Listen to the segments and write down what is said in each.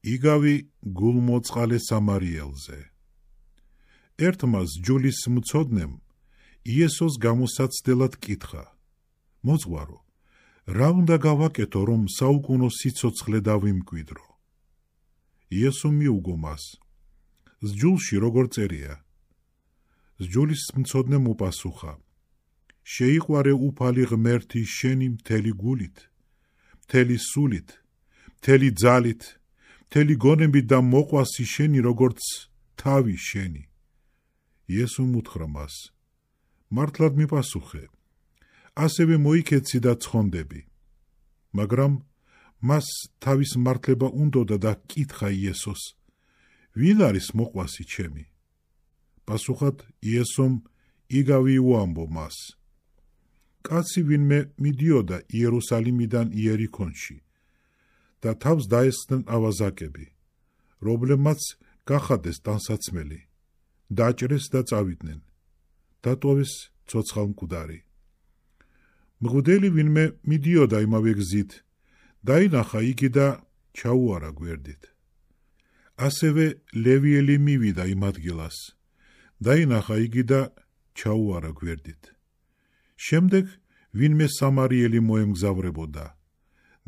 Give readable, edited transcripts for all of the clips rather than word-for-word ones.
იგავი გულმოწყალე სამარიელზე. ერთმა სჯულის მცოდნემ იესოს გამოსაცდელად კითხა: მოძღვარო, რა უნდა გავაკეთო, რომ საუკუნო სიცოცხლე დავიმკვიდრო? იესო მიუგო მას: სჯულში როგორ წერია? სჯულის მცოდნემ უპასუხა: შეიყვარე უფალი ღმერთი შენი მთელი გულით, მთელი სულით, მთელი ძალით, მთელი გონებით და მოყვასი შენი როგორც თავი შენი. იესომ უთხრა მას: მართლად მიპასუხე, ასევე მოიქეცი და ცხონდები. მაგრამ მას თავის მართლება უნდოდა და კითხა იესოს: ვინ არის მოყვასი ჩემი? პასუხად იესომ იგავი უამბო მას: კაცი ვინმე მიდიოდა იერუსალიმიდან იერიქონში და თავს დაესხნენ ავაზაკები, რომლებმაც გახადეს ტანსაცმელი, დაჭრეს და წავიდნენ, დატოვეს ცოცხალმკვდარი. მღვდელი ვინმე მიდიოდა იმავე გზით, დაინახა იგი და ჩაუარა გვერდით. ასევე ლევიელი მივიდა იმ ადგილას, დაინახა იგი და ჩაუარა გვერდით. შემდეგ ვინმე სამარიელი მოემგზავრებოდა,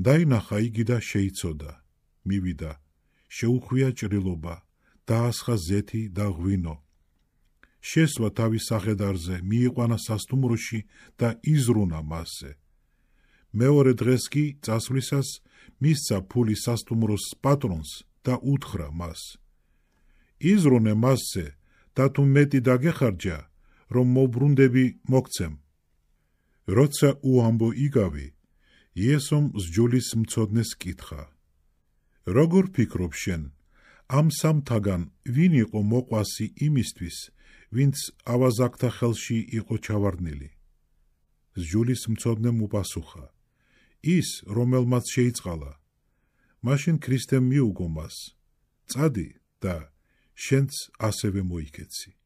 დაინახა იგი და შეიცოდა, მივიდა, შეუხვია ჭრილობა, დაასხა ზეთი და ღვინო. შესვა თავის სახედარზე, მიიყვანა სასტუმროში და იზრუნა მასზე. მეორე დღეს კი წასვლისას მისცა ფული სასტუმროს პატრონს და უთხრა მას: იზრუნე მასზე და თუ მეტი დაგეხარჯა, რომ მოbrundები მოგცემ. როცა უამბო იგავი, იესომ სჯულის მცოდნეს კითხა: როგორ ფიქრობ შენ, ამ სამთაგან ვინ იყო მოყვასი იმისთვის, ვინც ავაზაკთა ხელში იყო ჩავარდნილი? სჯულის მცოდნემ უპასუხა: ის, რომელმაც შეიწყალა. მაშინ ქრისტემ მიუგო მას: წადი და შენც ასევე მოიქეცი.